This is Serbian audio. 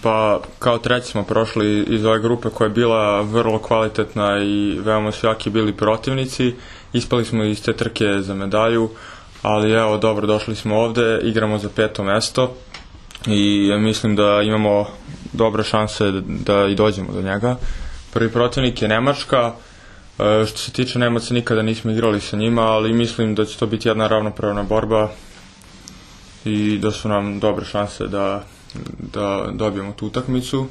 Pa kao treći smo prošli iz ove grupe koja je bila vrlo kvalitetna i veoma su jaki bili protivnici. Ispali smo iz te trke za medalju, ali evo dobro, došli smo ovde, igramo za 5. mesto i mislim da imamo dobre šanse da i dođemo do njega. Prvi protivnik je Nemačka. Što se tiče Nemaca, nikada nismo igrali sa njima, ali mislim da će to biti jedna ravnopravna borba i da su nam dobre šanse da dobijemo tu utakmicu.